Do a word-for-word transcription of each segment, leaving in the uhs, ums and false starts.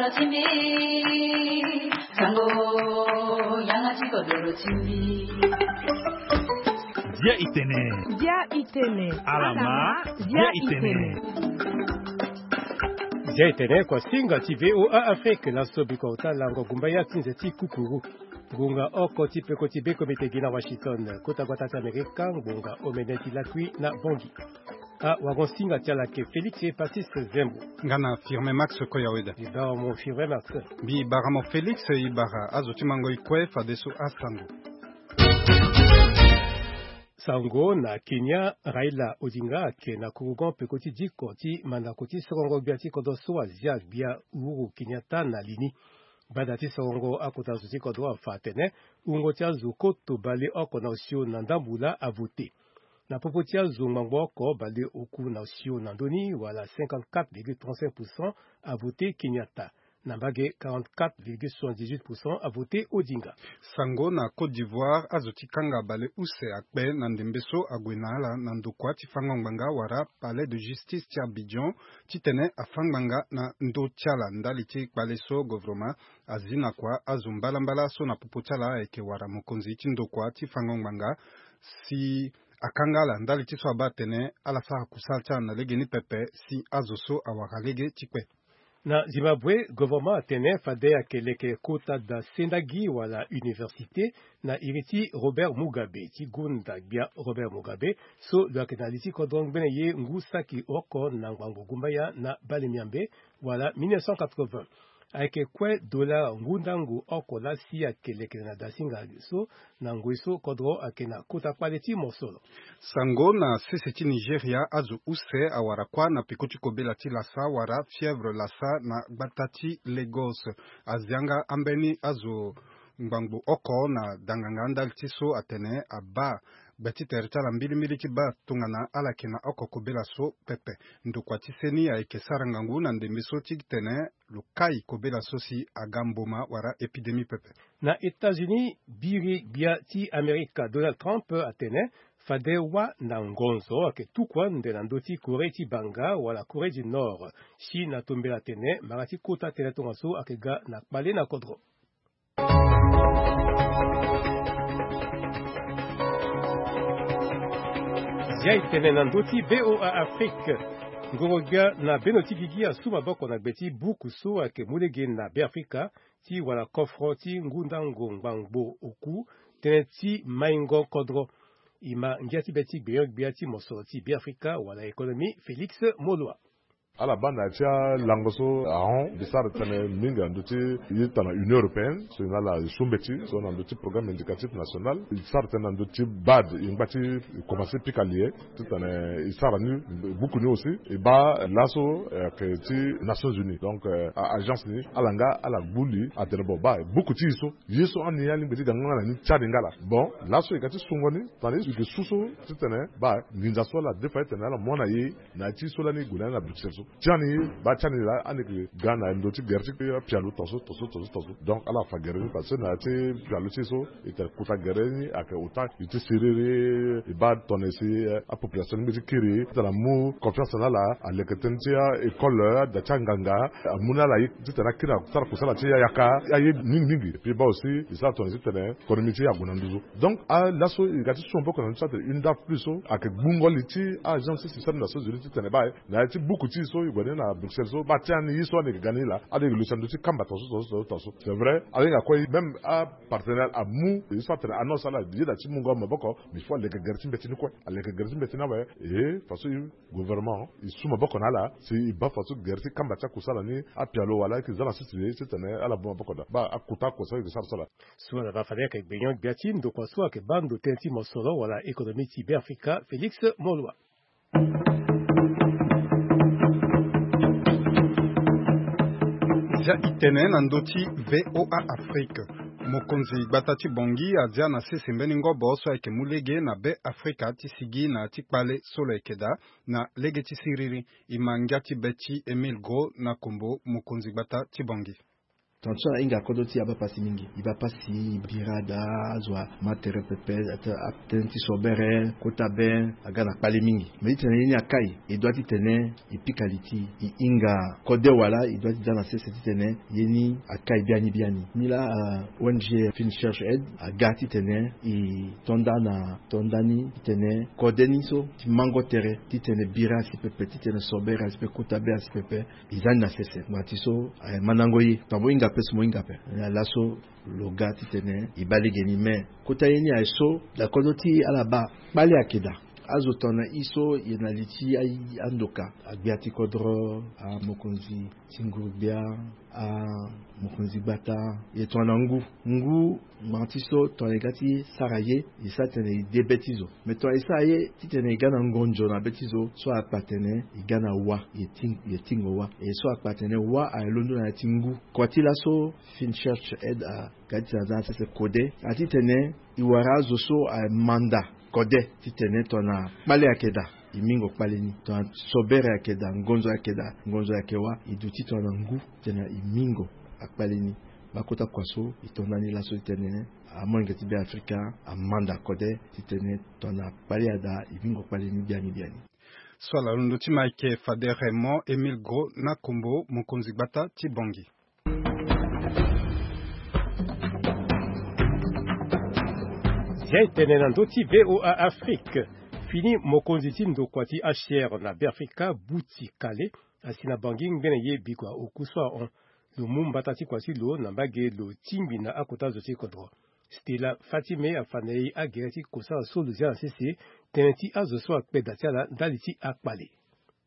Dia itene. Dia itene. Alama. Dia itene. Dia itene, kua singa ti VOA Afrique. Laso biko ota lango gumba ya ti nze ti kukuru. Ngonga oko ti peko ti be komite gi na Washington, kota gbata ti Amerika, ngonga omene ti lakui na Bongi. Ah, wagon singa ti ala ke Félix Epasis Zembo. Nga na Firmin Max Koyaweda. Ibaramo Firmin Max. Mbi baramo Félix, ibara azo ti mango ikue fadeso asango. Sango na Kenya, Raila Odinga ake na kurugon peko ti diko ti mandako ti sorongo gbia ti kodro so azia gbia Uhuru Kenyatta na lini. Banda ti sorongo akota zo ti kodro afa atene wungo ti azo koto baleoko na osio na ndambu laa avote. Na popo ti azo ngbangbo oko baleoku na osio na ndö ni wala cinquante-quatre virgule trente-cinq pour cent avote Kenyatta. Na mbage quarante-quatre virgule soixante-dix-huit pour cent avote Odinga. Sango na Côte d'Ivoire, azo ti kanga baleuse akpe na ndembe so ague na ala na ndokua ti fango ngbanga wala Palais de Justice ti Abidjan, titene afa ngbanga na ndö ti ala ndali ti kpale so govrema azi na kua azo mbalambala so na popo ti ala ayeke wara mokonzi ti ndokua ti fango ngbanga, si akanga ala ndali ti so abaa atene ala sara kusala ti ala na legeni pepe si azo so awara lege ti kpe. Na Zimbabwe, governement atene fade ayeke leke kota da sendagi wala université na iri ti Robert Mugabe ti gonda gbia Robert Mugabe, so lo yeke na li ti kodro ngbene ye ngu saki oko na ngbangbo gumbaya na bale miambe wala mille neuf cent quatre-vingts. Ayeke kue dola ngundangu oko laa si ayeke leke na dasinga so na ngoi so kodro ayeke na kota kpale ti mosoro. Sango na sese ti Nigeria, azo use awara kuâ na peko ti kobela ti lasa wala fièvre lasa na gbata ti Lagos. Azi yanga ambeni azo ngbangbo oko na danganga ndali ti so atene abaa gbe ti tere ti ala mbilimbili ti baa tongana ala yeke na oko kobela so pepe. Ndokua ti seni ayeke sara ngangu na ndembe so ti tene lo kai kobela so si aga mboma wala épidémie pepe. Na États-Unis, biri gbia ti Amerika Donald Trump atene fade wâ na ngonzo ayeke tuku ande na ndö ti Corée ti banga wala Corée du Nord. Chine atombela atene mara ti kota tënë tongaso ayeke ga na kpale na kodro. Zia e tene na ndö ti VOA Afrique. Ngoro-gbia na beno ti gigi asu maboko na gbe ti buku so ayeke mu lege na Beafrika ti wala kofro ti ngundango ngbangbo oku, tënë ti maingo kodro. E ma ngia ti be ti gbenyo-gbia ti mosoro ti Beafrika wala économie, Félix Moloa. Ala baa na ya ti alango so ahon mbi sara tënë mingi na ndö ti ye tana Union européenne so e na ala e su mbeti so na ndö ti programme indicatif national. E sara tënë na ndö ti BAD, e ngba ti e komanse pika li ye titene e sara ni. Buku ni aussi e baa laso, eh, ayeke ti Nations Unies, donc, eh, a-agence ni ala nga ala gbu li atene bon baa buku ti e so ye so ani alingbi ti ga nga na ni ti ani nga laa. Bon, laso e ga ti sungo ni tana e yeke su so titene baa nginza so ala defa titene ala mu na e na ya ti so lani e gue na ni na Bruxelles so. Ti ani baa ti ani laa ani yeke ga na ndö ti gere ti apialo tongaso tongaso tongaso tongaso. Donc ala fa gere ni parce que na ya ti pialo ti e so e tene kota gere ni ayeke ota e ti siriri e baa tongana e si, eh, apopulation ni mbeti kiri titene amu confiance na ala, aleke tënë ti a-école, ada ti anganga, amu na ala ye titene akiri asara kusala ti yaka aye mingi mingi. Et puis e baa aussi e sara tongana e si titene économie ti e ague na nduzu. Donc, ah, laso e ga ti su maboko na ndö ti atene une daf plus so ayeke gbungo li ti agence ti système des Nations Unies titene baa na ya ti buku ti e so e gue ni na Bruxelles so baa ti ani ye so ani yeke ga ni laa ani yeke luti na ndö ti kamba tongaso tongaso tongaso tongaso. C'est vrai, ahinga kue même apartenaire amu ye so atene annonce ala ye daa ti mungo maboko, mais il faut aleke gere ti mbeti ni kue. Aleke gere ti mbeti ni awe. E façon e gouvernement e su maboko na ala si e baa façon gere ti kamba ti akusala ni apialo wala ayeke za na sese titene ala baa maboko daa baa akota akusala e yeke sara so laa. So ala baa fade ayeke gbenyo-gbia ti ndokua so ayeke baa ndo tënë ti mosoro wala économie ti Beafrika, Félix Moloa. Zia e tene na ndö ti VOA Afrique. Mokonzi gbata ti Bangui azia na sese mbeni ngobo so ayeke mu lege na Beafrika ti sigi na ya ti kpale so lo yeke daa na lege ti siriri. E ma ngia ti be ti Émile Gros na kombo mokonzi gbata ti Bangui. Tongana so ahinga kodro ti e abaa pasi mingi. E baa pasi, e bira daa, azo ama tere pepe. Atene ti sobere, kota be, aga na kpale mingi. Mais titene ye ni akai, e doit titene e pika li ti e, e hinga kode wala e doit ti za na sese titene ye ni akai biani biani. Nilaa, O N G Fin Search Aid aga titene e to nda na to nda ni titene kode ni so ti mango tere titene bira asi pepe, titene sobere asi pepe, kota be asi pepe. E za ni na sese. Ngba ti so, eh, mandango ye. Tongana mo hinga ape so mo hinga ape. Eh, laso lo ga titene e baa lege ni. Mais kota ye ni aye so, da kodro ti ala baa kpale ayeke daa. Azo tongana e so e na li ti a-, andoka, agbia ti kodro, amokonzi ti nguru-gbia, amokonzi gbata, e tongana ngu. Ngu, ngba ti so tongana e ga ti sara ye, e sara titene e de be ti zo. Mais tongana e sara ye titene e ga na ngonzo na be ti zo, so akpa atene e ga na wa, e ting-, e tingo wa. E so akpa atene wa aye londo na ya ti ngu. Kua ti laso, Fin Search Aid aga titene a za na sese kode, a titene e wara azo so aye manda kode titene tongana kpale ayeke daa, e mingo kpale ni. Tongana sobere ayeke daa, ngonzo ayeke daa, ngonzo ayeke wa, e duti tongana ngu titene e mingo akpale ni. Baa kota kua so e to nda ni laso titene amolenge ti Beafrika amanda kode titene tongana kpale adaa, e mingo kpale ni biani biani. So ala londo ti ma ayeke fade Raymond Émile Gros Nakombo, mokonzi gbata ti Bangui. Zia e tene na ndö ti V O A Afrique. Fini mokonzi ti ndokua ti H C R na Beafrika, Buti Kale, asi na Bangui ngbene ye bikua oku so ahon. Lo mu mbata ti kua ti lo na mbage lo tingbi na akota zo ti kodro. Stella Fatime afa na e agere ti kosala so lo zia na sese, tënë ti azo so akpe da ti ala ndali ti akpale.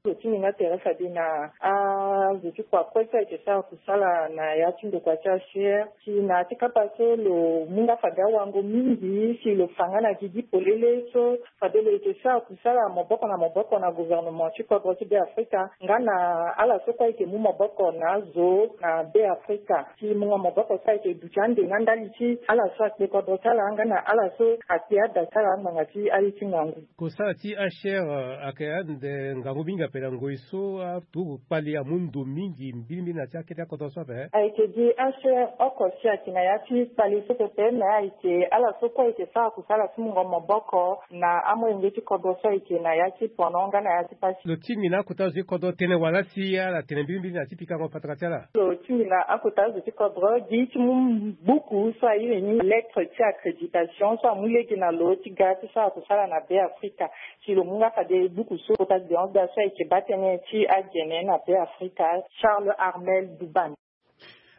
Lo ti ni nga tere fade na azo ti kua kue so ayeke sara kusala na ya ti ndokua ti H C R, si na ya ti kapa so lo mu nga fade awango mingi, si lo fa nga na gigi polele so fade lo yeke sara kusala maboko na maboko na gouvernement ti kodro ti Beafrika, nga na ala so kue ayeke mu maboko na azo na Beafrika. Ti mungo maboko so ayeke duti ande nga ndali ti ala so akpe kodro ti ala nga na ala so akpe ada ti ala ngbanga ti aye ti ngangu. Kosala ti H C R, eh, ayeke ande ngangu mingi ape na ngoi so aturugu kpale amu ndo mingi mbilimbili na ya ti akete akodro so ape. Ayeke gi H C R oko si ayeke na ya ti kpale so pepe, me ayeke ala so kue ayeke sara kusala ti mungo maboko na amolenge ti kodro so ayeke na ya ti pono nga na ya ti pasi. Lo tingbi na akota zo ti kodro tënë wala si ala tene mbilimbili na ya ti pikango patara ti ala? Lo tingbi na akota zo ti kodro gi ti mu buku so airi ni lettre ti accréditation so amu lege na lo ti ga ti sara kusala na Beafrika. Si lo mu nga fade buku so kota si denonce da so ayeke baa tënë ti agene na Beafrika, Charles Armel Duban.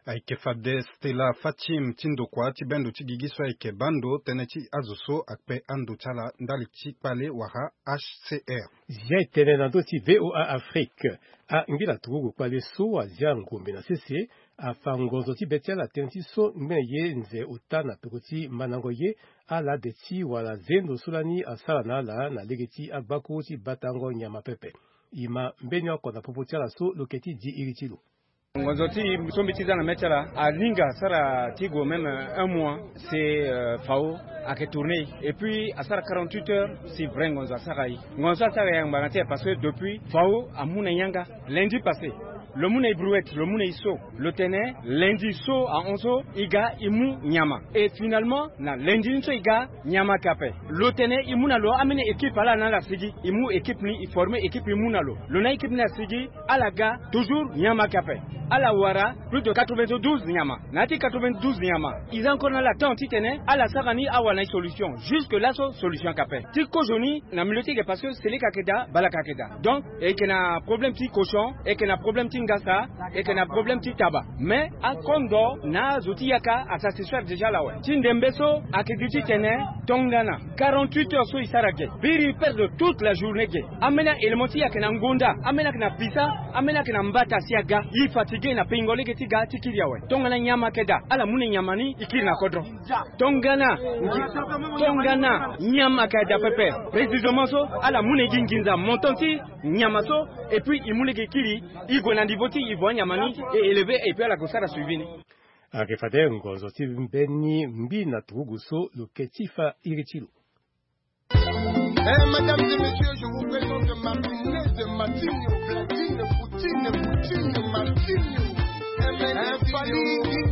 Ayeke fade Stella Fatim ti ndokua ti bendo ti gigi so ayeke baa ndo tënë ti azo so akpe ando ti ala ndali ti kpale wala H C R. Zia e tene na ndö ti V O A Afrique. Angbi na turugu kpale so azia ngombe na sese afa ngonzo ti be ti ala tënë ti so ngbene ye nze ota na peko ti mandango ye, ala de ti wala zendo so lani asara na ala na lege ti agbakuru ti batango nyama pepe. E ma mbeni oko na popo ti ala so lo yeke ti di iri ti lo. Ngonzo ti e so mbi ti za na mê ti ala alinga asara ti gue même un mois, c'est, euh, Fao ayeke tourner et puis asara quarante-huit heures si vrai ngonzo asara e. Ngonzo asara e angbanga ti e parce que depuis Fao amu na e yanga. Lundi passé lo mu na e brouette, lo mu na e so, lo tene lundi so ahon so e ga e mu nyama. Et finalement na lundi ni so e ga nyama ayeke ape. Lo tene e mu na lo ameni équipe ala na ala sigi, e mu équipe ni, e former équipe, e mu na lo. Lo na équipe ni asigi, ala ga toujours nyama ayeke ape. Ala wara plus de quatre-vingt-douze nyama. Na ya ti quatre-vingt-douze nyama, e za encore na ala temps titene ala sara ni, awara na e solution. Jusque là so solution ayeke ape. Ti kozo ni na milieu ti e ge parce que seleka ayeke daa, balaka ayeke daa. Donc e yeke na problème ti cochon, e yeke na problème ti ngasa, e yeke na problème ti taba. Mais akondo na azo ti yaka asatisfaire déjà ala awe. Ti ndembe so ayeke gi titene tongana quarante-huit heures so e sara ge, biri e perdre toute la journée ge. Ambeni a-élément ti e ayeke na ngonda, ambeni ayeke na pisa, ambeni ayeke na mbata si aga. E fatigué na peingo lege ti ga ti kiri awe. Tongana nyama ayeke daa, ala mu na e nyama ni e kiri na kodro. Tongana, tongana nyama ayeke daa pepe, précisément so ala mu na e gi nginza montant ti nyama so, et puis e mu lege e kiri, e gue na niveau ti e vo anyama ni e élevé, et puis ala gue sara suivi ni. Ayeke fade ngonzo ti mbeni mbi na turugu so lo yeke ti fa iri ti lo. Eh, mesdames et messieurs, je vous présente Martine de Martine, Platine, Poutine, Poutine, Martine. Eh, Fally,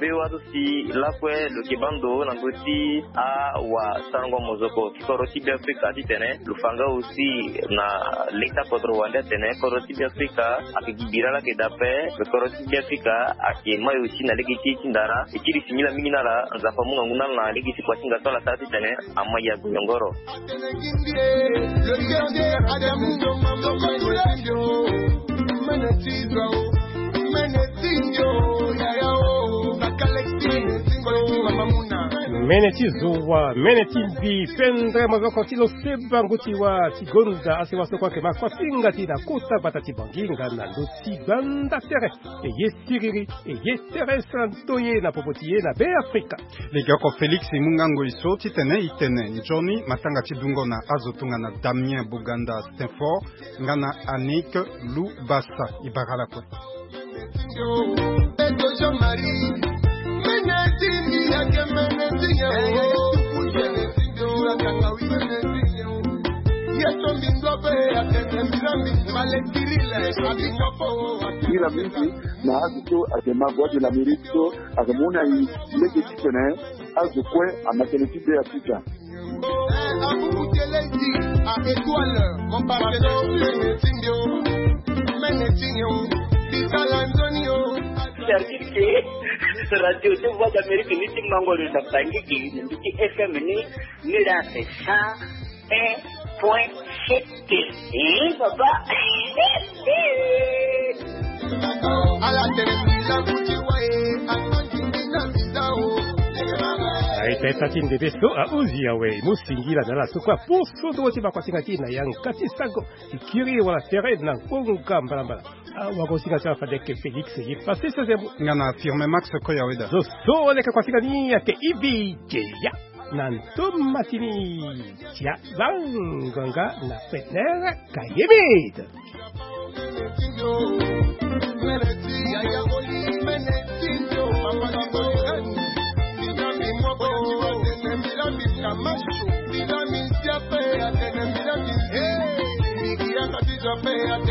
V O A so si lakue lo yeke baa ndo na ndö ti awasarango mozoko ti kodro ti Beafrika titene lo fa nga aussi na leta kodro wande atene kodro ti Beafrika ayeke gi bira laa ayeke daa ape. Kodro ti Beafrika ayeke mai aussi na lege ti e ti ndara. E kiri singila mingi na ala, Nzapa amu ngangu na ala na lege ti kuasinga so ala sara titene ama ya gonyongoro. Mene ti zowa, mene ti mbi, pendre mozoko ti lo seba ngu ti wa ti gonda asewa so kue ayeke ma kuasinga ti na kota gbata ti Bangui nga na ndö ti gbanda tere. E ye siriri, e ye tere santo ye na popo ti ye na Beafrika. Lege oko Félix e mu nga ngoi so titene e tene nzoni matanga ti dungo na azo tongana Damien Boganda Steinfort nga na Annick Loubassa. E bara lakue. Singila mingi na azo so ayeke ma Voix de l'Amérique so ayeke mu na e lege titene azo kue ama tënë ti Beafrika. Service ke radio ti Voix d'Amérique ni ti mango lo na Bangui ke na mbi ti F M ni, ni la c'est cent un point sept. Eh, papa. Ala tene. Aita ita ti ndebe so ahuzi awe mu singila na ala so kue aposo ndongo ti makuasinga ti e na yanga ti sango ti kiri wala tere na ngonga mbalambala. Awagosinga ti ala fade ayeke Félix ye pase sese mo. Nga na Firme Max Koya Weda. Zo so leke kuasinga ni ayeke Ivi Jeya. Na ntoma ti ni ti azango nga na Fener Kayemid.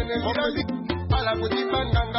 Ala foti banga.